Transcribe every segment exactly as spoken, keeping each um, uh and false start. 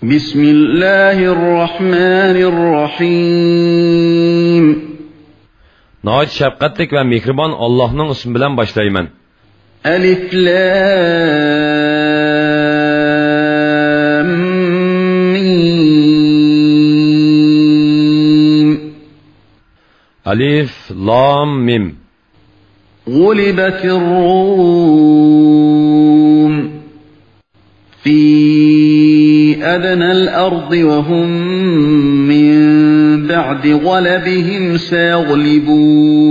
بسم الله الرحمن الرحيم. ناھايىتى شەپقەتلىك ۋە مېھرىبان ئاللاھنىڭ ئىسمى بىلەن باشلايمەن. ألف لام ميم. ئەلىف لام مىم. غلبت الروم. في أدنى الأرض وهم من بعد غلبهم سيغلبون.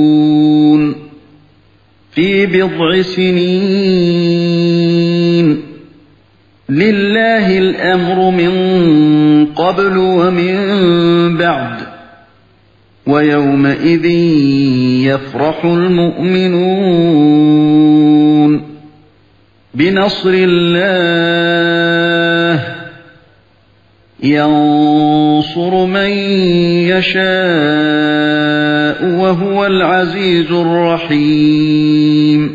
في بضع سنين. لله الأمر من قبل ومن بعد. ويومئذ يفرح المؤمنون. بنصر الله ينصر من يشاء وهو العزيز الرحيم.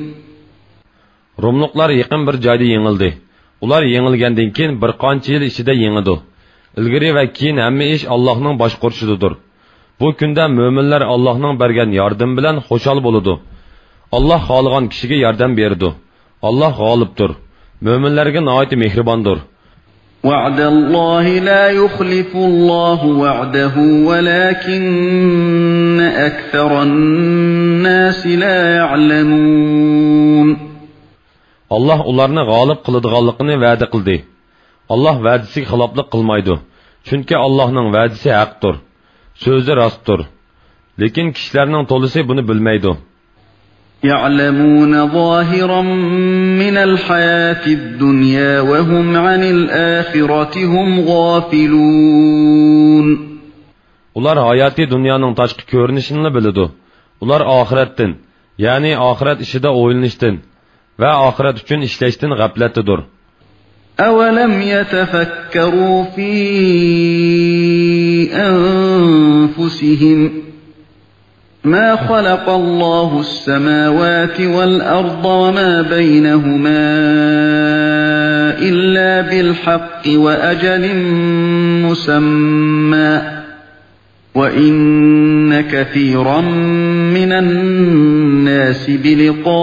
روملۇقلار يېقىن بىر جايدا يېڭىلدى. ئۇلار يېڭىلگەندىن كېيىن بىر قانچە يىل ئىچىدە يېڭىدۇ. ئىلگىرى ۋە كېيىن ھەممە ئىش ئاللاھنىڭ باشقۇرۇشىدىدۇر. بۇ كۈندە مۆمىنلەر ئاللاھنىڭ بەرگەن ياردىمى بىلەن خۇشال بولىدۇ. ئاللاھ خالىغان كىشىگە ياردەم بېرىدۇ. ئاللاھ غالىبتۇر. مۆمىنلەرگە ناھايىتى مېھرىباندۇر. وعد الله لا يخلف الله وعده ولكن أكثر الناس لا يعلمون. ئاللاھ ئۇلارنى غالىب قىلىدىغانلىقىنى ۋەدە قىلدى. ئاللاھ ۋەدىسىگە خىلاپلىق قىلمايدۇ. چۈنكى ئاللاھنىڭ ۋەدىسى ھەقتۇر. سۆزى راستتۇر. لېكىن كىشىلەرنىڭ تولىسى بۇنى بىلمەيدۇ. يعلمون ظاهرا من الحياة الدنيا وهم عن الآخرة هم غافلون. ئۇلار ھاياتىي دۇنيانىڭ تاشقى كۆرۈنۈشىنىلا بىلىدۇ. ئۇلار ئاخىرەتتىن، يەنى ئاخىرەت ئىشىدا ئويلىنىشتىن ۋە ئاخىرەت ئۈچۈن ئىشلەشتىن غەپلەتتىدۇر. أولم يتفكروا في أنفسهم ما خلق الله السماوات والأرض وما بينهما إلا بالحق وأجل مسمى وإن كثيرا من الناس بلقاء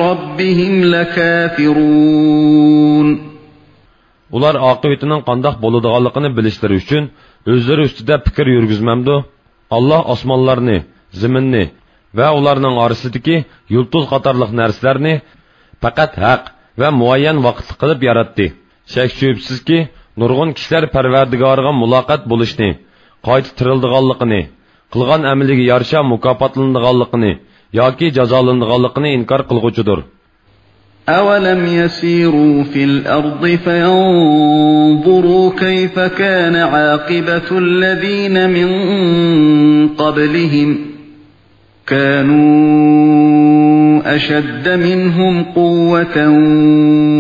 ربهم لكافرون. ئۇلار ئاقىۋىتىنىڭ قانداق بولىدىغانلىقىنى بىلىشلىرى ئۈچۈن ئۆزلىرى ئۈستىدە پىكىر يۈرگۈزمەمدۇ؟ ئاللاھ ئاسمانلارنى، زېمىننى ۋە ئۇلارنىڭ ئارىسىدىكى يۇلتۇز قاتارلىق نەرسىلەرنى پەقەت ھەق ۋە مۇئەييەن ۋاقىتلىق قىلىپ ياراتتى. شەك-شۈبھىسىزكى، نۇرغۇن كىشىلەر پەرۋەردىگارىغا مۇلاقات بولۇشنى، قايتا تىرىلىدىغانلىقىنى، قىلغان ئەمىلىگە يارىشا مۇكاپاتلىنىدىغانلىقىنى ياكى جازالىنىدىغانلىقىنى ئىنكار قىلغۇچىدۇر. أولم يسيروا في الأرض فينظروا كيف كان عاقبة الذين من قبلهم كانوا أشد منهم قوة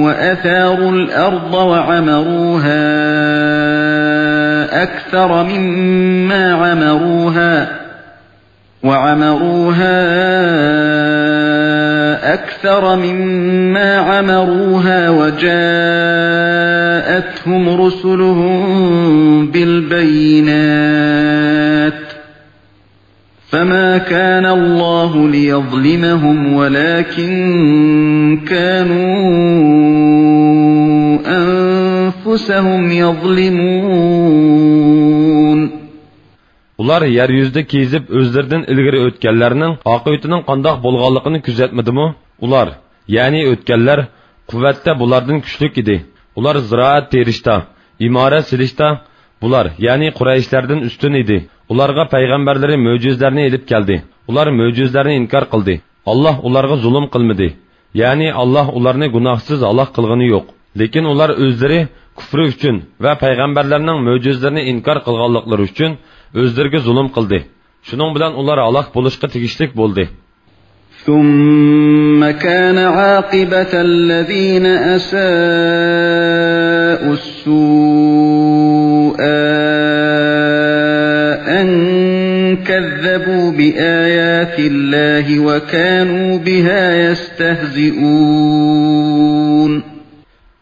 وأثاروا الأرض وعمروها أكثر مما عمروها وعمروها أكثر مما عمروها وجاءتهم رسلهم بالبينات فما كان الله ليظلمهم ولكن كانوا أنفسهم يظلمون. ئۇلار يەر يۈزىدە كېزىپ، ئۆزلىرىدىن ئىلگىرى ئۆتكەنلەرنىڭ ئاقىۋىتىنىڭ قانداق بولغانلىقىنى كۆزەتمىدىمۇ؟ ئۇلار، يەنى ئۆتكەنلەر، قۇۋۋەتتە بۇلاردىن كۈچلۈك ئىدى. ئۇلار زىرائەت تېرىشتا، ئىمارەت سېلىشتا بۇلار، يەنى قۇرەيشلەردىن ئۈستۈن ئىدى. ئۇلارغا پەيغەمبەرلىرى مۆجىزىلەرنى ئېلىپ كەلدى. ئۇلار مۆجىزىلەرنى ئىنكار قىلدى. ئاللاھ ئۇلارغا زۇلۇم قىلمىدى. يەنى ئاللاھ ئۇلارنى گۇناھسىز ھالاك قىلغىنى يوق. لېكىن ئۇلار ئۆزلىرى كۇفرى ئۈچۈن ۋە پەيغەمبەرلەرنىڭ مۆجىزىلىرىنى ئىنكار قىلغانلىقلىرى ئۈچۈن ئۆزلىرىگە زۇلۇم قىلدى. شۇنىڭ بىلەن ئۇلار ھالاك بولۇشقا تېگىشلىك بولدى. ثم كان عاقبة الذين أساءوا السوء أن كذبوا بآيات الله وكانوا بها يستهزئون.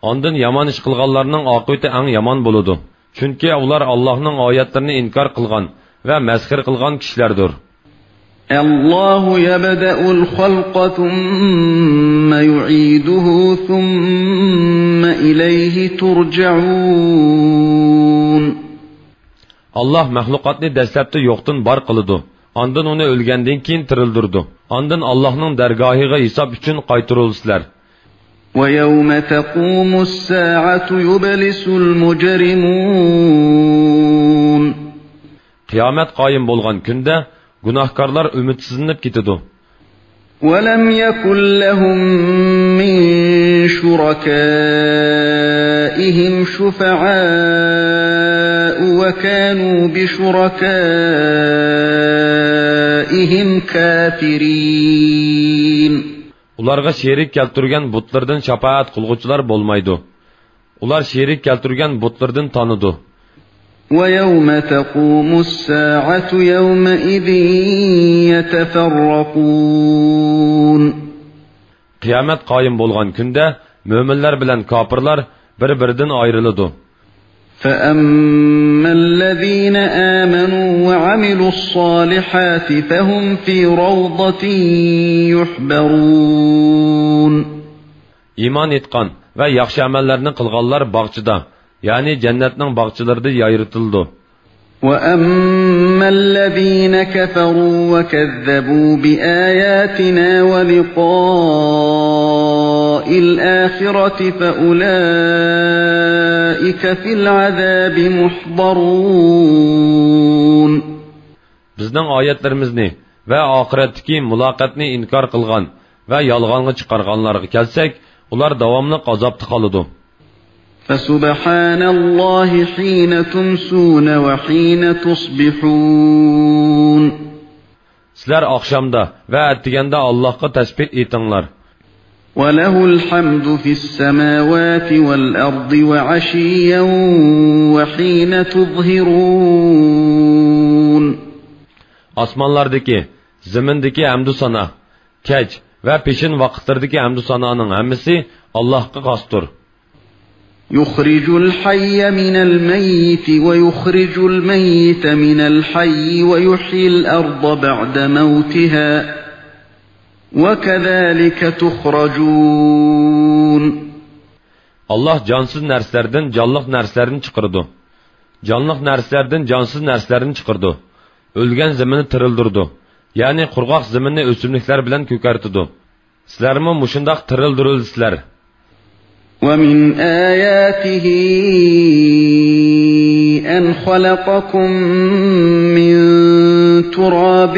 ئاندىن يامان ئىش قىلغانلارنىڭ ئاقىۋىتى ئەڭ يامان بولىدۇ. چۈنكى ئۇلار ئاللاھنىڭ ئايەتلىرىنى ئىنكار قىلغان ۋە مەسخىرە قىلغان كىشىلەردۇر. الله يبدأ الخلق ثم يعيده ثم إليه ترجعون. ئاللاھ مەخلۇقاتنى دەسلەپتە يوقتىن بار قىلىدۇ. ئاندىن ئۇنى ئۆلگەندىن كېيىن تىرىلدۈرىدۇ. ئاندىن ئاللاھنىڭ دەرگاھىغا ھېساب ئۈچۈن قايتۇرۇلىسىلەر. ويوم تقوم الساعة يبلس المجرمون. قىيامەت قايىم بولغان كۈندە گۇناھكارلار ئۈمىدسىزلىنىپ كېتىدۇ. ولم يكن لهم من شركائهم شفعاء وكانوا بشركائهم كافرين. ئۇلارغا شېرىك كەلتۈرگەن بۇتلىرىدىن شاپائەت قىلغۇچىلار بولمايدۇ. ئۇلار شېرىك كەلتۈرگەن بۇتلىرىدىن تانىدۇ. ويوم تقوم الساعة يومئذ يتفرقون. قىيامەت قايىم بولغان كۈندە مۆمىنلەر بىلەن كاپىرلار بىر-بىرىدىن ئايرىلىدۇ. فأما الذين آمنوا وعملوا الصالحات فهم في روضة يحبرون. ئىمان ئېيتقان ۋە ياخشى ئەمەللەرنى قىلغانلار باغچىدا، يەنى جەننەتنىڭ باغچىلىرىدا يايرىتىلىدۇ. وأما الذين كفروا وكذبوا بآياتنا ولقاء الآخرة فأولئك في العذاب محضرون. بىزنىڭ ئايەتلىرىمىزنى ۋە ئاخىرەتتىكى مۇلاقاتنى ئىنكار قىلغان ۋە يالغانغا چىقارغانلارغا كەلسەك، ئۇلار داۋاملىق ئازابتا قالىدۇ. فسبحان الله حين تمسون وحين تصبحون. سىلەر ئاخشامدا ۋە ئەتىگەندە ئاللاھقا تەسبىھ ئېيتىڭلار. وله الحمد في السماوات والأرض وعشيا وحين تظهرون. ئاسمانلاردىكى، زېمىندىكى ھەمدۇ سانا، كەچ ۋە پېشىن ۋاقىتلىرىدىكى ھەمدۇ سانانىڭ ھەممىسى ئاللاھقا خاستۇر. يخرج الحي من الميت ويخرج الميت من الحي ويحيي الأرض بعد موتها وكذلك تخرجون. ئاللاھ جانسىز نەرسىلەردىن جانلىق نەرسىلەرنى چىقىرىدۇ. جانلىق نەرسىلەردىن جانسىز نەرسىلەرنى چىقىرىدۇ. ئۆلگەن زېمىننى تىرىلدۈرىدۇ. يەنى قۇرغاق زېمىننى ئۆسۈملۈكلەر بىلەن كۆكەرتىدۇ. سىلەرمۇ مۇشۇنداق تىرىلدۈرۈلىسىلەر. ومن آياته أن خلقكم من تراب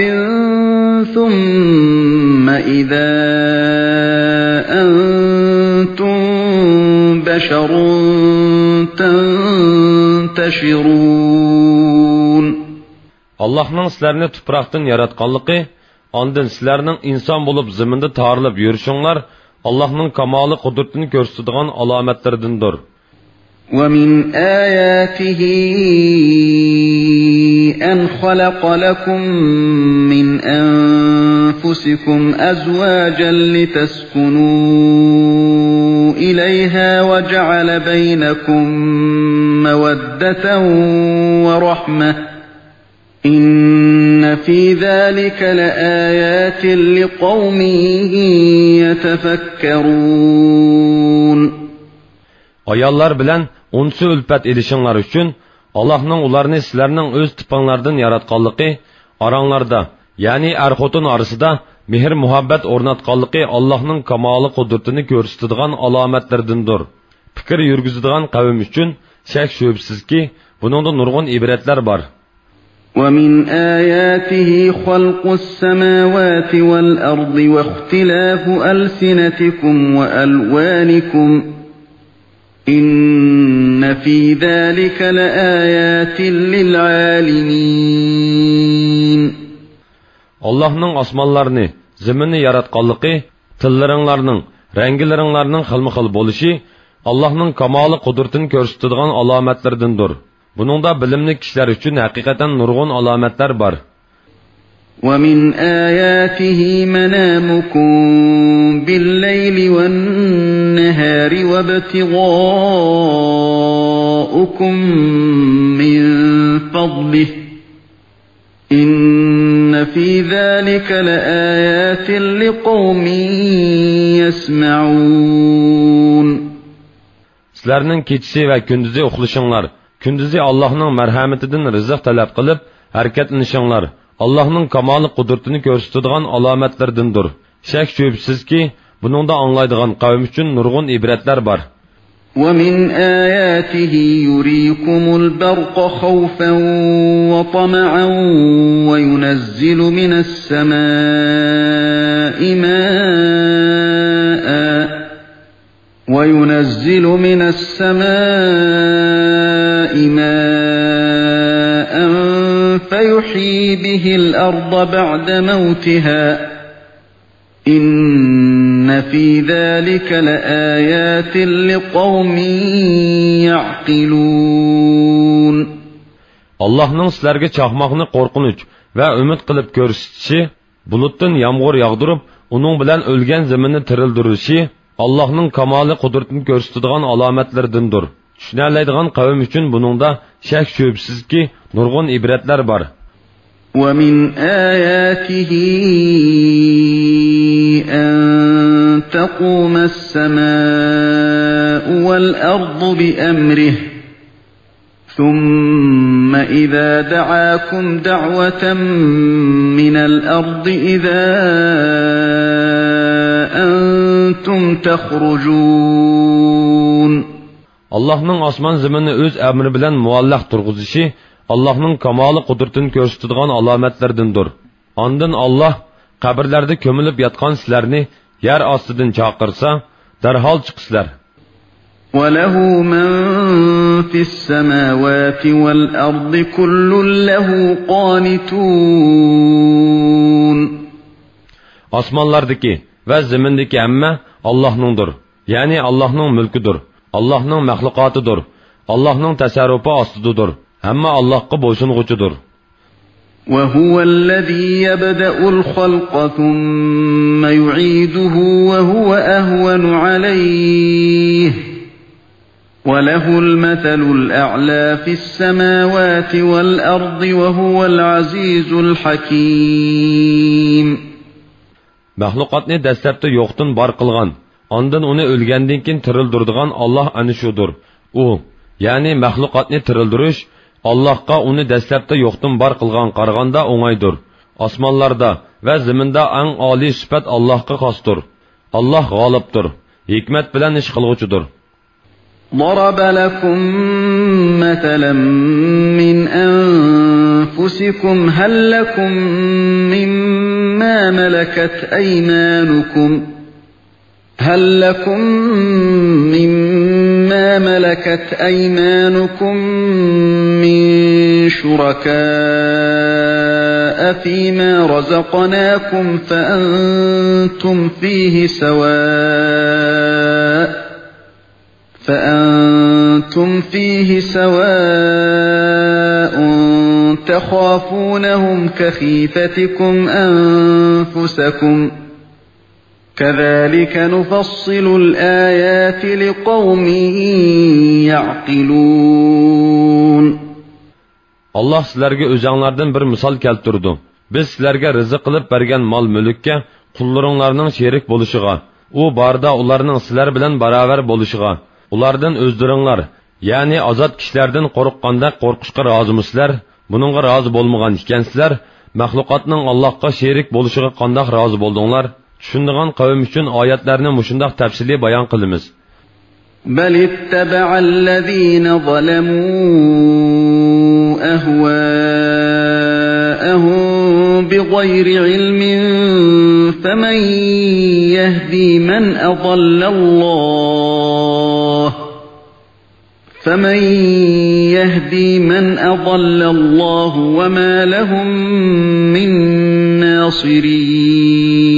ثم إذا أنتم بشر تنتشرون. ئاللاھنىڭ سىلەرنى تۇپراقتىن ياراتقانلىقى، ئاندىن سىلەرنىڭ ئىنسان بولۇپ زېمىندا تارىلىپ يۈرۈشۈڭلار ئاللاھنىڭ كامالى قۇدرىتىنى كۆرسىتىدىغان ئالامەتلىرىدىندۇر. ومن آياته أن خلق لكم من أنفسكم أزواجا لتسكنوا إليها وجعل بينكم مودة ورحمة إن في ذلك لآيات لقوم يتفكرون. ئاياللار بىلەن ئۇنسى ئۈلپەت ئېلىشىڭلار ئۈچۈن، ئاللاھنىڭ ئۇلارنى سىلەرنىڭ ئۆز تىپىڭلاردىن ياراتقانلىقى، ئاراڭلاردا، يەنى ئەر-خوتۇن ئارىسىدا مېھىر-مۇھەببەت ئورناتقانلىقى ئاللاھنىڭ كامالى قۇدرىتىنى كۆرسىتىدىغان ئالامەتلىرىدىندۇر. پىكىر يۈرگۈزىدىغان قەۋم ئۈچۈن شەك-شۈبھىسىزكى، بۇنىڭدا نۇرغۇن ئىبرەتلەر بار. ومن آياته خلق السماوات والأرض واختلاف ألسنتكم وألوانكم إن في ذلك لآيات للعالمين. ئاللاھنىڭ ئاسمانلارنى، زېمىننى ياراتقانلىقى، تىللىرىڭلارنىڭ، رەڭگىلىرىڭلارنىڭ خىلمۇ خىل بولۇشى ئاللاھنىڭ كامالى قۇدرىتىنى كۆرسىتىدىغان ئالامەتلىرىدىندۇر. بۇنىڭدا بىلىملىك كىشىلەر ئۈچۈن ھەقىقەتەن نۇرغۇن ئالامەتلەر بار. ومن آياته منامكم بالليل والنهار وابتغاؤكم من فضله إن في ذلك لآيات لقوم يسمعون. سىلەرنىڭ كېچىسى ۋە كۈندۈزى ئۇخلىشىڭلار، كۈندۈزى ئاللاھنىڭ مەرھەمىتىدىن رىزىق تەلەپ قىلىپ ھەرىكەتلىنىشىڭلار ئاللاھنىڭ كامالى قۇدرىتىنى كۆرسىتىدىغان ئالامەتلىرىدىندۇر. شەك-شۈبھىسىزكى، بۇنىڭدا ئاڭلايدىغان قەۋم ئۈچۈن نۇرغۇن ئىبرەتلەر بار. ومن آياته يريكم البرق خوفا وطمعا وينزل من السماء ماء وينزل من السماء ماء فيحيي به الأرض بعد موتها إن في ذلك لآيات لقوم يعقلون. ئاللاھنىڭ سىلەرگە چاقماقنى قورقۇنچ ۋە ئۈمىد قىلىپ كۆرسىتىشى، بۇلۇتتىن يامغۇر ياغدۇرۇپ، ئۇنىڭ بىلەن ئۆلگەن زېمىننى تىرىلدۈرۈشى، ئاللاھنىڭ كامالى قۇدرىتىنى كۆرسىتىدىغان ئالامەتلىرىدىندۇر. چۈشىنەلەيدىغان قەۋم ئۈچۈن بۇنىڭدا شەك-شۈبھىسىزكى، نۇرغۇن ئىبرەتلەر بار. ومن آياته أن تقوم السماء والأرض بأمره ثم إذا دعاكم دعوة من الأرض إذا أنتم تخرجون. ئاللاھنىڭ ئاسمان زېمىننى ئۆز ئەمرى بىلەن مۇئەللەق تۇرغۇزۇشى ئاللاھنىڭ كامالى قۇدرىتىنى كۆرسىتىدىغان ئالامەتلىرىدىندۇر. ئاندىن ئاللاھ قەبرىلەردە كۆمۈلۈپ ياتقان سىلەرنى يەر ئاستىدىن چاقىرسا، دەرھال چىقىسىلەر. وله من في السماوات والأرض كل له قانتون. ئاسمانلاردىكى ۋە زېمىندىكى ھەممە ئاللاھنىڭدۇر. يەنى ئاللاھنىڭ مۈلكىدۇر، ئاللاھنىڭ مەخلۇقاتىدۇر، ئاللاھنىڭ تەسەررۇپى ئاستىدىدۇر. ھەممە ئاللاھقا بويسۇنغۇچىدۇر. وهو الذي يبدأ الخلق ثم يعيده وهو أهون عليه وله المثل الأعلى في السماوات والأرض وهو العزيز الحكيم. مەخلۇقاتنى دەسلەپتە يوقتىن بار قىلغان، ئاندىن ئۇنى ئۆلگەندىن كېيىن تىرىلدۈرىدىغان ئاللاھ ئەنە شۇدۇر. ئۇ، يەنى مەخلۇقاتنى تىرىلدۈرۈش، ئاللاھقا ئۇنى دەسلەپتە يوقتىن بار قىلغانغا قارىغاندا ئوڭايدۇر. ئاسمانلاردا ۋە زېمىندا ئەڭ ئالىي سۈپەت ئاللاھقا خاستۇر. ئاللاھ غالىبتۇر، ھېكمەت بىلەن ئىش قىلغۇچىدۇر. ضرب لكم مثلا من أنفسكم هل لكم مما ملكت أيمانكم هل لكم مما ملكت أيمانكم من شركاء فيما رزقناكم فأنتم فيه سواء فأنتم فيه سواء تخافونهم كخيفتكم أنفسكم كذلك نفصل الآيات لقوم يعقلون. ئاللاھ سىلەرگە ئۆزەڭلاردىن بىر مىسال كەلتۈرىدۇ. بىز سىلەرگە رىزىق قىلىپ بەرگەن مال-مۈلۈككە قۇللىرىڭلارنىڭ شېرىك بولۇشىغا، ئۇ باردا ئۇلارنىڭ سىلەر بىلەن باراۋەر بولۇشىغا، ئۇلاردىن ئۆزلىرىڭلار، يەنى ئازاد كىشىلەردىن قورققاندەك قورقۇشقا رازىمۇسىلەر؟ بۇنىڭغا رازى بولمىغان ئىكەنسىلەر، مەخلۇقاتنىڭ ئاللاھقا شېرىك بولۇشىغا قانداق رازى بولدۇڭلار؟ چۈشىنىدىغان قەۋم ئۈچۈن ئايەتلەرنى مۇشۇنداق تەپسىلىي بايان قىلىمىز. بل اتبع الذين ظلموا أهواءهم بغير علم فمن يهدي من أضل الله فمن يهدي من أضل الله وما لهم من ناصرين.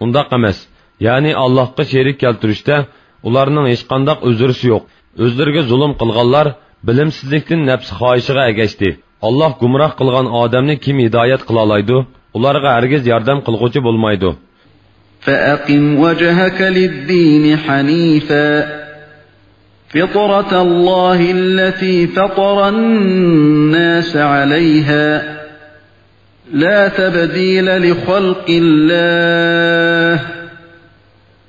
ئۇنداق ئەمەس. يەنى ئاللاھقا شېرىك كەلتۈرۈشتە ئۇلارنىڭ ھېچقانداق ئۆزرىسى يوق. ئۆزلىرىگە زۇلۇم قىلغانلار بىلىمسىزلىكتىن نەپسى خاھىشىغا ئەگەشتى. ئاللاھ گۇمراھ قىلغان ئادەمنى كىم ھىدايەت قىلالايدۇ؟ ئۇلارغا ھەرگىز ياردەم قىلغۇچى بولمايدۇ. فَأَقِمْ وَجْهَكَ لِلدِّينِ حَنِيفًا فِطْرَتَ اللَّهِ الَّتِي فَطَرَ النَّاسَ عَلَيْهَا لَا تَبْدِيلَ لِخَلْقِ اللَّهِ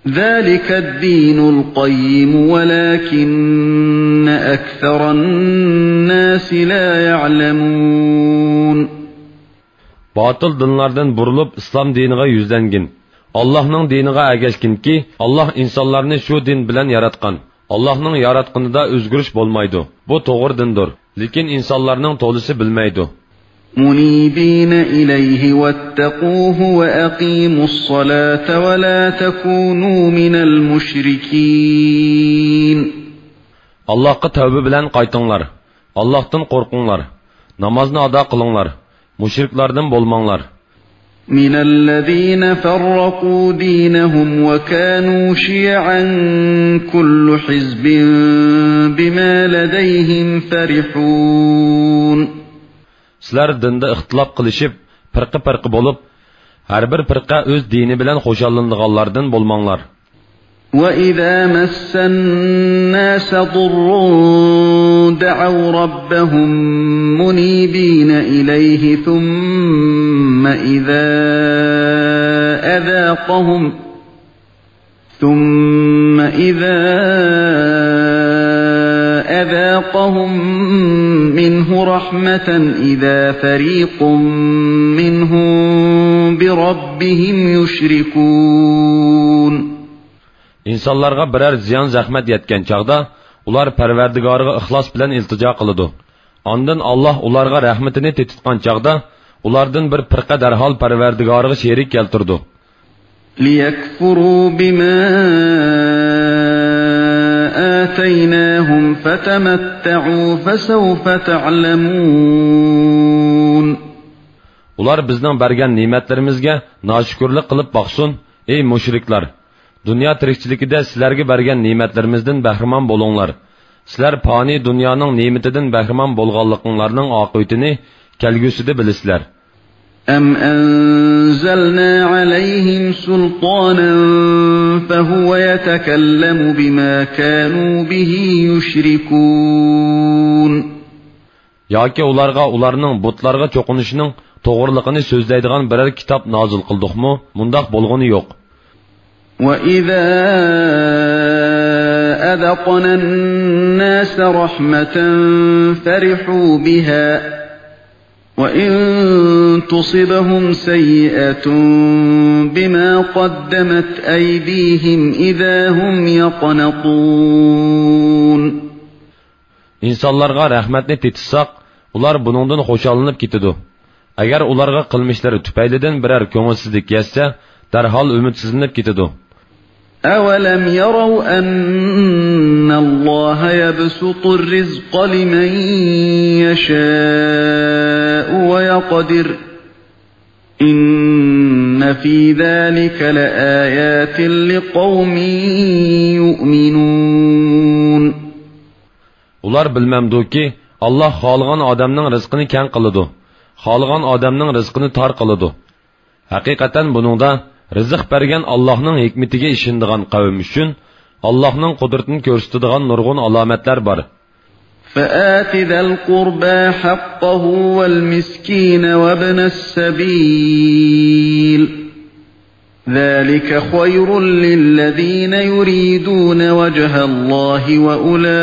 ذَلِكَ الدِّينُ الْقَيِّمُ وَلَكِنَّ أَكْثَرَ النَّاسِ لَا يَعْلَمُونَ. باتىل دىنلاردىن بۇرۇلۇپ، ئىسلام دىنىغا يۈزلەنگىن. ئاللاھنىڭ دىنىغا ئەگەشكىنكى، ئاللاھ ئىنسانلارنى شۇ دىن بىلەن ياراتقان. ئاللاھنىڭ ياراتقىنىدا ئۆزگىرىش بولمايدۇ. بۇ توغرا دىندۇر. لېكىن ئىنسانلارنىڭ تولىسى بىلمەيدۇ. مُنِيبِينَ إِلَيْهِ وَاتَّقُوهُ وَأَقِيمُوا الصَّلَاةَ وَلَا تَكُونُوا مِنَ الْمُشْرِكِينَ. ئاللاھقا تەۋبە بىلەن قايتىڭلار. ئاللاھتىن قورقۇڭلار. نامازنى ئادا قىلىڭلار. مۇشرىكلاردىن بولماڭلار. مِنَ الَّذِينَ فَرَّقُوا دِينَهُمْ وَكَانُوا شِيَعًا كُلُّ حِزْبٍ بِمَا لَدَيْهِمْ فَرِحُونَ. سىلەر دىندا ئىختىلاپ قىلىشىپ، پىرقە-پىرقە بولۇپ، ھەر بىر پىرقە ئۆز دىنى بىلەن خۇشاللىنىدىغانلاردىن بولماڭلار. وَإِذَا مَسَّ النَّاسَ ضُرٌّ دَعَوْا رَبَّهُم مُّنِيبِينَ إِلَيْهِ ثُمَّ إِذَا أَذَاقَهُم ثُمَّ إِذَا أَذَاقَهُم مِّنْهُ رَحْمَةً إِذَا فَرِيقٌ مِّنْهُم بِرَبِّهِمْ يُشْرِكُونَ. ئىنسانلارغا بىرەر زىيان-زەخمەت يەتكەن چاغدا، ئۇلار پەرۋەردىگارىغا ئىخلاس بىلەن ئىلتىجا قىلىدۇ. ئاندىن ئاللاھ ئۇلارغا رەھمىتىنى تېتىتقان چاغدا، ئۇلاردىن بىر پىرقە دەرھال پەرۋەردىگارىغا شېرىك كەلتۈرىدۇ. لِيَكْفُرُوا بِمَا آتَيْنَاهُمْ فَتَمَتَّعُوا فَسَوْفَ تَعْلَمُونَ. ئۇلار بىزنىڭ بەرگەن نېمەتلىرىمىزگە ناشۈكۈرلۈك قىلىپ باقسۇن، ئەي مۇشرىكلار! دۇنيا تىرىكچىلىكىدە سىلەرگە بەرگەن نېمەتلىرىمىزدىن بەھرىمەن بولۇڭلار. سىلەر پانىي دۇنيانىڭ نېمىتىدىن بەھرىمەن بولغانلىقىڭلارنىڭ ئاقىۋىتىنى كەلگۈسىدە بىلىسىلەر. أَمْ أَنزَلْنَا عَلَيْهِمْ سُلْطَانًا فَهُوَ يَتَكَلَّمُ بِمَا كَانُوا بِهِ يُشْرِكُونَ. ياكى ئۇلارغا ئۇلارنىڭ بۇتلارغا چوقۇنۇشىنىڭ توغرىلىقىنى سۆزلەيدىغان بىرەر كىتاب نازىل قىلدۇقمۇ؟ مۇنداق بولغىنى يوق. وَإِذَا أَذَقْنَا النَّاسَ رَحْمَةً فَرِحُوا بِهَا وَإِن تُصِبْهُمْ سَيِّئَةٌ بِمَا قَدَّمَتْ أَيْدِيهِمْ إِذَا هُمْ يَقْنَطُونَ. ئىنسانلارغا رەھمەتنى تېتىتساق، ئۇلار بۇنىڭدىن خۇشاللىنىپ كېتىدۇ. ئەگەر ئۇلارغا قىلمىشلىرى تۈپەيلىدىن بىرەر كۆڭۈلسىزلىك يەتسە، دەرھال ئۈمىدسىزلىنىپ كېتىدۇ. أَوَلَمْ يَرَوْا أَنَّ اللَّهَ يَبْسُطُ الرِّزْقَ لِمَن يَشَاءُ وَيَقْدِرُ إِنَّ فِي ذَلِكَ لَآيَاتٍ لِقَوْمٍ يُؤْمِنُونَ. ئۇلار بىلمەمدۇكى، ئاللاھ خالىغان ئادەمنىڭ رىزقىنى كەڭ قىلىدۇ، خالىغان ئادەمنىڭ رىزقىنى تار قىلىدۇ. ھەقىقەتەن بۇنىڭدا رىزىق بەرگەن ئاللاھنىڭ ھېكمىتىگە ئىشىنىدىغان قەۋم ئۈچۈن ئاللاھنىڭ قۇدرىتىنى كۆرسىتىدىغان نۇرغۇن ئالامەتلەر بار. فَآتِ ذَا الْقُرْبَىٰ حَقَّهُ وَالْمِسْكِينَ وَابْنَ السَّبِيلِ ذَٰلِكَ خَيْرٌ لِّلَّذِينَ يُرِيدُونَ وَجْهَ اللَّهِ وَأُولَٰئِكَ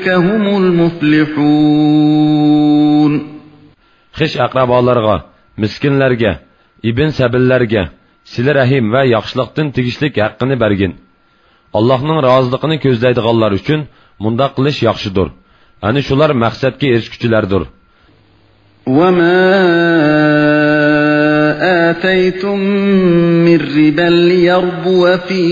هُمُ الْمُفْلِحُونَ. خىش-ئەقرىبالارغا، مىسكىنلەرگە، ئىبن سەبىللەرگە سىلە رەھىم ۋە ياخشىلىقتىن تېگىشلىك ھەققىنى بەرگىن. ئاللاھنىڭ رازىلىقىنى كۆزلەيدىغانلار ئۈچۈن مۇنداق قىلىش ياخشىدۇر. ئەنە شۇلار مەقسەتكە ئېرىشكۈچىلەردۇر. وَمَا آتَيْتُم مِّن رِّبًا لِّيَرْبُوَ فِي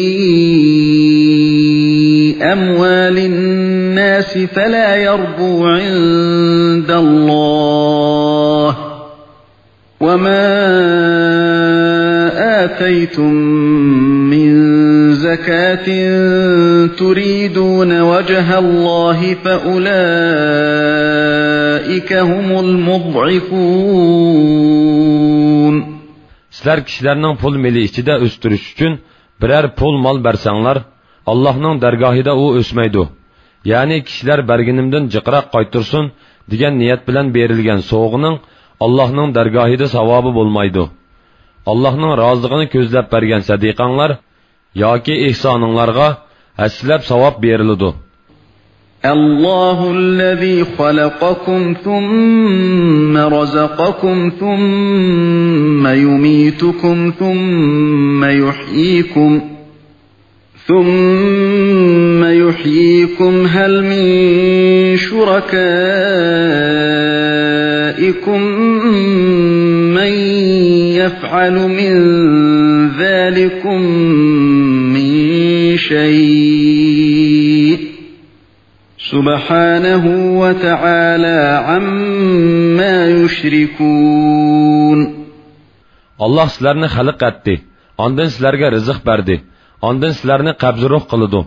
أَمْوَالِ النَّاسِ فَلَا يَرْبُو عِندَ اللَّهِ وَمَا آتَيْتُم مِّن زَكَاةٍ تريدون وجه الله فأولئك هم المضعفون. سىلەر كىشىلەرنىڭ پۇل مېلى ئىچىدە ئۆستۈرۈش ئۈچۈن بىرەر پۇل مال بەرسەڭلار، ئاللاھنىڭ دەرگاھىدا ئۇ ئۆسمەيدۇ. يەنى كىشىلەر بەرگىنىمدىن جىقراق قايتۇرسۇن دېگەن نىيەت بىلەن بېرىلگەن سوۋغىنىڭ ئاللاھنىڭ دەرگاھىدا ساۋابى بولمايدۇ. ئاللاھنىڭ رازىلىقىنى كۆزلەپ بەرگەن سەدىقەڭلار ياكى ئېھسانىڭلارغا ھەسسىلەپ ساۋاب بېرىلىدۇ. الله الذي خلقكم ثم رزقكم ثم يميتكم ثم يحييكم، ثم يحييكم، هل من شركائكم من يفعل من ذلكم من شيء؟ سبحانه وتعالى عما يشركون. ئاللاھ سىلەرنى خەلق ئەتتى، ئاندىن سىلەرگە رىزىق بەردى، ئاندىن سىلەرنى قەبزى روھ قىلىدۇ،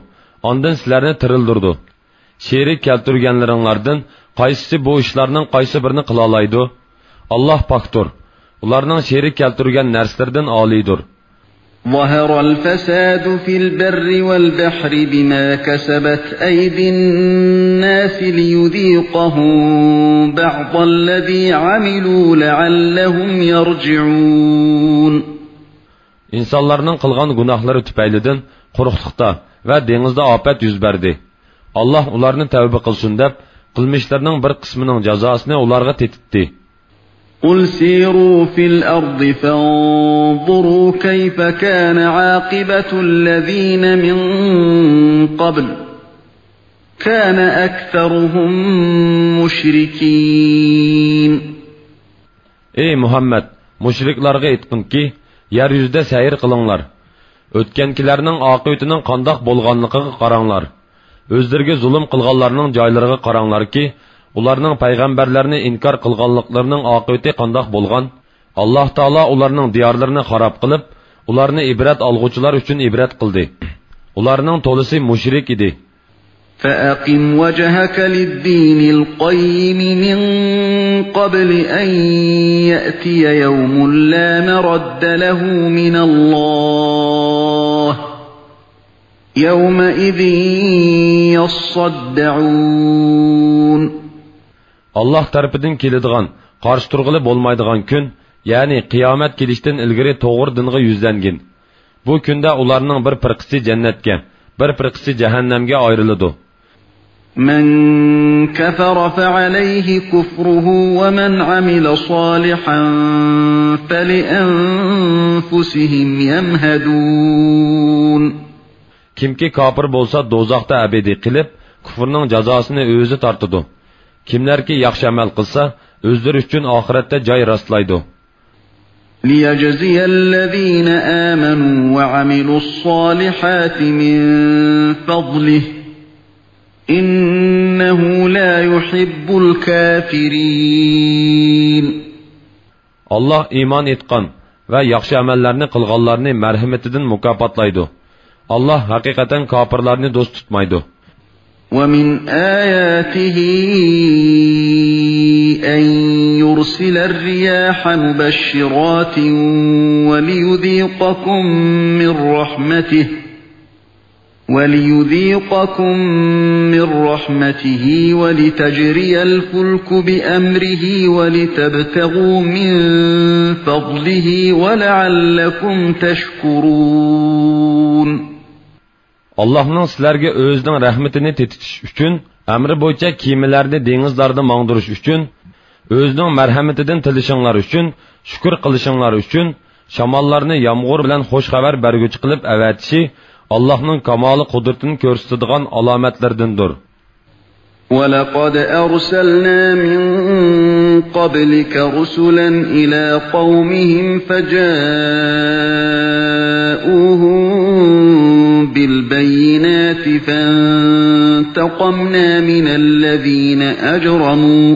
ئاندىن سىلەرنى تىرىلدۈرىدۇ. شېرىك كەلتۈرگەنلىرىڭلاردىن قايسىسى بۇ ئىشلارنىڭ قايسى بىرىنى قىلالايدۇ؟ ئاللاھ پاكتۇر، ئۇلارنىڭ شېرىك كەلتۈرگەن نەرسىلىرىدىن ئالىيدۇر. ظهر الفساد في البر والبحر بما كسبت أيدي الناس ليذيقهم بعض الذي عملوا لعلهم يرجعون. ئىنسانلارنىڭ قىلغان گۇناھلىرى تۈپەيلىدىن قۇرۇقلۇقتا ۋە دېڭىزدا ئاپەت يۈز بەردى. ئاللاھ ئۇلارنى تەۋبە قىلسۇن دەپ، قىلمىشلىرىنىڭ بىر قىسمىنىڭ جازاسىنى ئۇلارغا تېتىتتى. قل سيروا في الأرض فانظروا كيف كان عاقبة الذين من قبل كان أكثرهم مشركين. ئەي مۇھەممەد، مۇشرىكلارغا ئېيتقىنكى، يەر يۈزىدە سەير قىلىڭلار. ئۆتكەنكىلەرنىڭ ئاقىۋىتىنىڭ قانداق بولغانلىقىغا قاراڭلار. ئۆزلىرىگە زۇلۇم قىلغانلارنىڭ جايلىرىغا قاراڭلاركى، ئۇلارنىڭ پەيغەمبەرلەرنى ئىنكار قىلغانلىقلىرىنىڭ ئاقىۋىتى قانداق بولغان؟ ئاللاھ تائالا ئۇلارنىڭ دىيارلىرىنى خاراب قىلىپ، ئۇلارنى ئىبرەت ئالغۇچىلار ئۈچۈن ئىبرەت قىلدى. ئۇلارنىڭ تولىسى مۇشرىك ئىدى. فأقم وجهك للدين القيم من قبل أن يأتي يوم لا مرد له من الله يومئذ يصدعون. ئاللاھ تەرىپىدىن كېلىدىغان، قارشى تۇرغىلى بولمايدىغان كۈن، يەنى قىيامەت كېلىشتىن ئىلگىرى توغرا دىنغا يۈزلەنگىن. بۇ كۈندە ئۇلارنىڭ بىر پىرقىسى جەننەتكە، بىر پىرقىسى جەھەننەمگە ئايرىلىدۇ. من كفر فعليه كفره ومن عمل صالحا فلأنفسهم يمهدون. كىمكى كاپىر بولسا، دوزاختا ئەبەدىي قېلىپ، كۇفرىنىڭ جازاسىنى ئۆزى تارتىدۇ. كىملەركى ياخشى ئەمەل قىلسا، ئۆزلىرى ئۈچۈن ئاخىرەتتە جاي راسلايدۇ. ليجزي الذين آمنوا وعملوا الصالحات من فضله إنه لا يحب الكافرين. ئاللاھ ئىمان ئېيتقان ۋە ياخشى ئەمەللەرنى قىلغانلارنى مەرھىمىتىدىن مۇكاپاتلايدۇ. ئاللاھ ھەقىقەتەن كاپىرلارنى دوست تۇتمايدۇ. ومن آياته أن يرسل الرياح مبشرات وليذيقكم من رحمته وليذيقكم من رحمته ولتجري الفلك بأمره ولتبتغوا من فضله ولعلكم تشكرون. ئاللاھنىڭ سىلەرگە ئۆزىنىڭ رەھمىتىنى تېتىتىش ئۈچۈن، ئەمرى بويىچە كېمىلەرنى دېڭىزلاردا ماڭدۇرۇش ئۈچۈن، ئۆزىنىڭ مەرھەمىتىدىن تىلىشىڭلار ئۈچۈن، شۈكۈر قىلىشىڭلار ئۈچۈن، شاماللارنى يامغۇر بىلەن خوش خەۋەر بەرگۈچى قىلىپ ئەۋەتىشى ئاللاھنىڭ كامالى قۇدرىتىنى كۆرسىتىدىغان ئالامەتلىرىدىندۇر. ولقد أرسلنا من قبلك رسلا إلى قومهم فجاءوهم بالبينات فانتقمنا من الذين أجرموا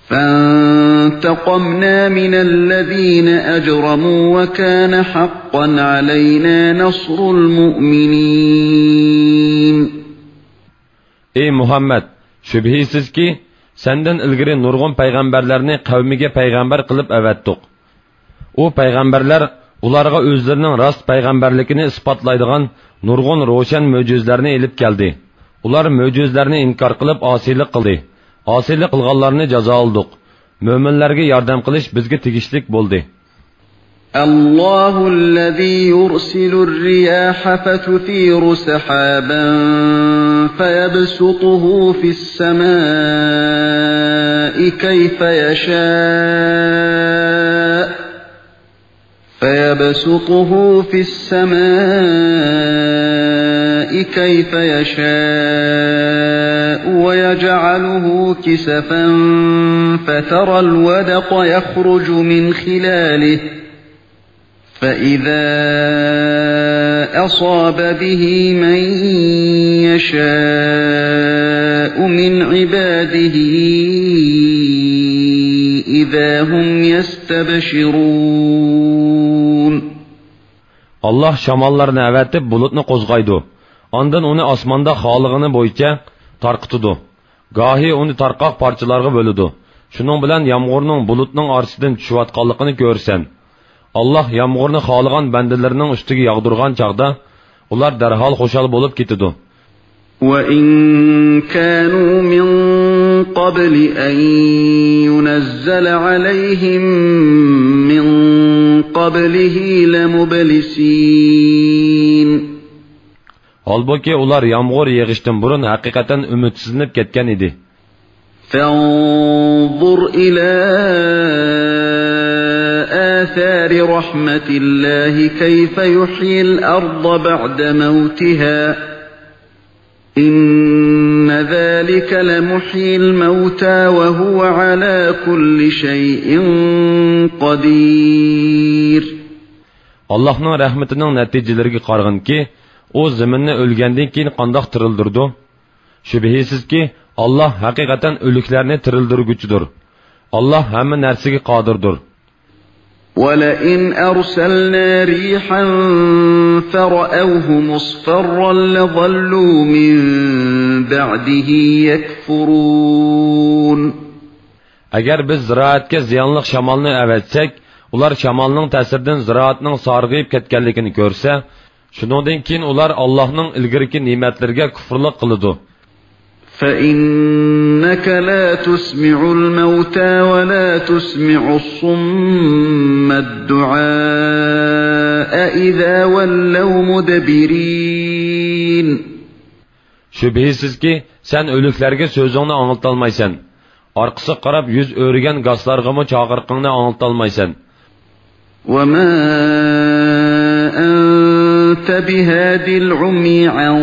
فانتقمنا فانتقمنا من الذين أجرموا وكان حقا علينا نصر المؤمنين. ئەي مۇھەممەد، شۈبھىسىزكى، سەندىن ئىلگىرى نۇرغۇن پەيغەمبەرلەرنى قەۋمىگە پەيغەمبەر قىلىپ ئەۋەتتۇق. ئۇ پەيغەمبەرلەر ئۇلارغا ئۆزلىرىنىڭ راست پەيغەمبەرلىكىنى ئىسپاتلايدىغان نۇرغۇن روشەن مۆجىزىلەرنى ئېلىپ كەلدى. ئۇلار مۆجىزىلەرنى ئىنكار قىلىپ ئاسىيلىق قىلدى. ئاسىيلىق قىلغانلارنى جازالىدۇق. مۆمىنلەرگە ياردەم قىلىش بىزگە تېگىشلىك بولدى. الله الذي يرسل الرياح فتثير سحابا فيبسطه في السماء كيف يشاء، فيبسطه في السماء كيف يشاء ويجعله كسفا فترى الودق يخرج من خلاله فإذا أصاب به من يشاء من عباده إذا هم يستبشرون. ئاللاھ شاماللارنى ئەۋەتىپ بۇلۇتنى قوزغايدۇ. ئاندىن ئۇنى ئاسماندا خالىغىنى بويىچە تارقىتىدۇ. گاھى ئۇنى تارقاق پارچىلارغا بۆلىدۇ. شۇنىڭ بىلەن يامغۇرنىڭ بۇلۇتنىڭ ئارىسىدىن چۈشۈۋاتقانلىقىنى كۆرىسەن. ئاللاھ يامغۇرنى خالىغان بەندىلىرىنىڭ ئۈستىگە ياغدۇرغان چاغدا، ئۇلار دەرھال خۇشال بولۇپ كېتىدۇ. وإن كانوا من قبل أن ينزل عليهم من قبله لمبلسين. ھالبۇكى، ئۇلار يامغۇر يېغىشتىن بۇرۇن ھەقىقەتەن ئۈمىدسىزلىنىپ كەتكەن ئىدى. فانظر إلى آثار رحمة الله كيف يحيي الأرض بعد موتها إن ذلك لمحيي الموتى وهو على كل شيء قدير. ئاللاھنىڭ رەھمىتىنىڭ نەتىجىلىرىگە قارىغىنكى، ئۇ زېمىننى ئۆلگەندىن كېيىن قانداق تىرىلدۈرىدۇ؟ شۈبھىسىزكى، ئاللاھ ھەقىقەتەن ئۆلۈكلەرنى تىرىلدۈرگۈچىدۇر. ئاللاھ ھەممە نەرسىگە قادىردۇر. ولئن أرسلنا ريحا فرأوه مصفرا لظلوا من بعده يكفرون. ئەگەر بىز زىرائەتكە زىيانلىق شامالنى ئەۋەتسەك، ئۇلار شامالنىڭ تەسىرىدىن زىرائەتنىڭ سارغىيىپ كەتكەنلىكىنى كۆرسە، شۇنىڭدىن كېيىن ئۇلار ئاللاھنىڭ ئىلگىرىكى نېمەتلىرىگە كۇفرلۇق قىلىدۇ. فإنك لا تسمع الموتى ولا تسمع الصم الدعاء إذا ولوا مدبرين. شۈبھىسىزكى، سەن ئۆلۈكلەرگە سۆزۈڭنى ئاڭلىتالمايسەن. ئارقىسىغا قاراپ يۈز ئۆرۈگەن گاسلارغىمۇ چاقىرىقىڭنى ئاڭلىتالمايسەن. وما أنت بهاد العمي عن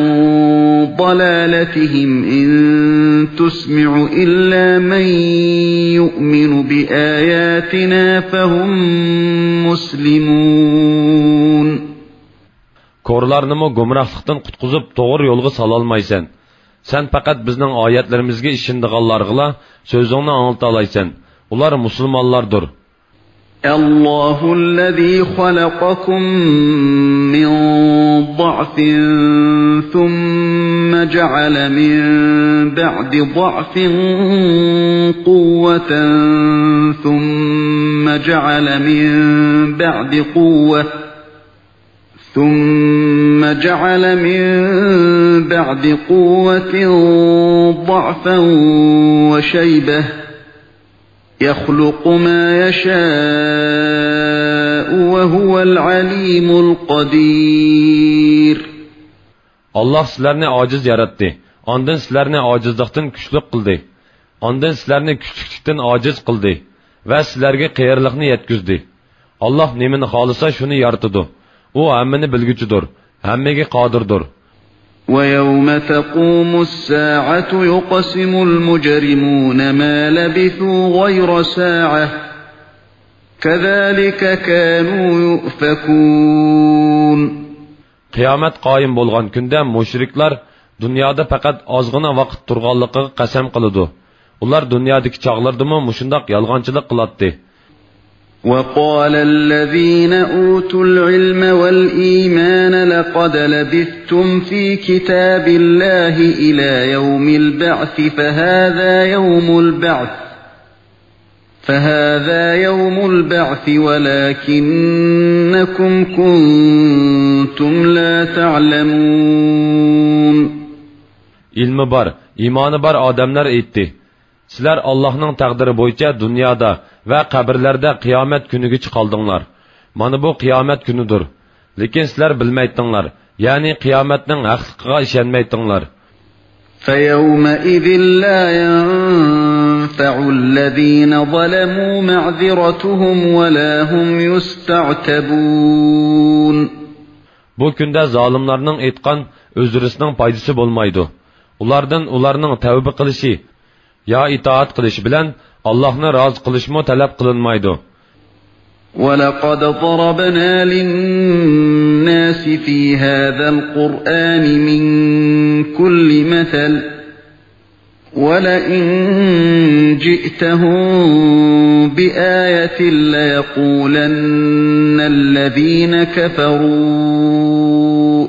ضلالتهم إن تسمع إلا من يؤمن بآياتنا فهم مسلمون. كورلارنىمۇ گۇمراھلىقتىن قۇتقۇزۇپ، توغرا يولغا سالالمايسەن. سەن پەقەت بىزنىڭ ئايەتلىرىمىزگە ئىشىنىدىغانلارغىلا سۆزۈڭنى ئاڭلىتالايسەن. ئۇلار مۇسۇلمانلاردۇر. الله الذي خلقكم من ضعف ثم جعل من بعد ضعف قوة ثم جعل من بعد قوة ثم جعل من بعد قوة ضعفا وشيبة يخلق ما يشاء وهو العليم القدير. ئاللاھ سىلەرنى ئاجىز ياراتتى، ئاندىن سىلەرنى ئاجىزلىقتىن كۈچلۈك قىلدى. ئاندىن سىلەرنى كۈچلۈكلۈكتىن ئاجىز قىلدى ۋە سىلەرگە قېرىلىقنى يەتكۈزدى. ئاللاھ نېمىنى خالىسا، شۇنى يارىتىدۇ. ئۇ ھەممىنى بىلگۈچىدۇر، ھەممىگە قادىردۇر. ويوم تقوم الساعة يقسم المجرمون ما لبثوا غير ساعة كذلك كانوا يؤفكون. قىيامەت قايىم بولغان كۈندە مۇشرىكلار دۇنيادا پەقەت ئازغىنا ۋاقىت تۇرغانلىقىغا قەسەم قىلىدۇ. ئۇلار دۇنيادىكى چاغلىرىدىمۇ مۇشۇنداق يالغانچىلىق قىلاتتى. وقال الذين أوتوا العلم والإيمان لقد لبثتم في كتاب الله إلى يوم البعث فهذا يوم البعث فهذا يوم البعث ولكنكم كنتم لا تعلمون. ئىلمى بار، ئىمانى بار ئادەملەر ئېيتتى: سىلەر ئاللاھنىڭ تەقدىرى بويىچە دۇنيادا ۋە قەبرىلەردە قىيامەت كۈنىگىچە قالدىڭلار. مانا بۇ قىيامەت كۈنىدۇر. لېكىن سىلەر بىلمەيتتىڭلار، يەنى قىيامەتنىڭ ھەقلىقىغا ئىشەنمەيتتىڭلار. فيومئذ لا ينفع الذين ظلموا معذرتهم ولا هم يستعتبون. بۇ كۈندە زالىملارنىڭ ئېيتقان ئۆزرىسىنىڭ پايدىسى بولمايدۇ. ئۇلاردىن ئۇلارنىڭ تەۋبە قىلىشى يا ئىتائەت قىلىشى بىلەن ئاللاھنى رازى قىلىشمۇ تەلەپ قىلىنمايدۇ. ولقد ضربنا للناس في هذا القرآن من كل مثل ولئن جئتهم بآية ليقولن الذين كفروا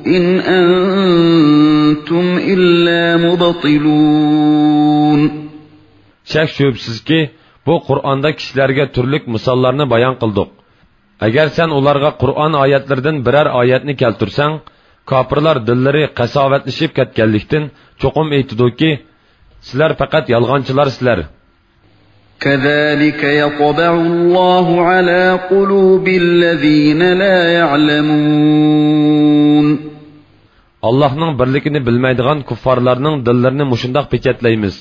إن أنتم إلا مبطلون. شەك-شۈبھىسىزكى، بۇ قۇرئاندا كىشىلەرگە تۈرلۈك مىساللارنى بايان قىلدۇق. ئەگەر سەن ئۇلارغا قۇرئان ئايەتلىرىدىن بىرەر ئايەتنى كەلتۈرسەڭ، كاپىرلار دىللىرى قەساۋەتلىشىپ كەتكەنلىكتىن، چوقۇم ئېيتىدۇكى، سىلەر پەقەت يالغانچىلارسىلەر. كذلك يطبع الله على قلوب الذين لا يعلمون. ئاللاھنىڭ بىرلىكىنى بىلمەيدىغان كۇففارلارنىڭ دىللىرىنى مۇشۇنداق پېچەتلەيمىز.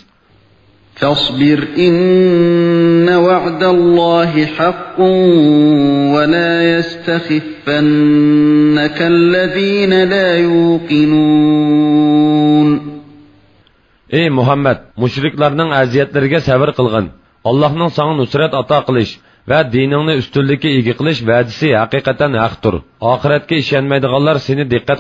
فاصبر إن وعد الله حق ولا يستخفنك الذين لا يوقنون. ئەي مۇھەممەد، مۇشرىكلارنىڭ ئەزىيەتلىرىگە سەۋر قىلغىن. ئاللاھنىڭ ساڭا نۇسرەت ئاتا قىلىش ۋە دىنىڭنى ئۈستۈنلۈككە ئىگە قىلىش ۋەدىسى ھەقىقەتەن ھەقتۇر. ئاخىرەتكە ئىشەنمەيدىغانلار سېنى دىققەت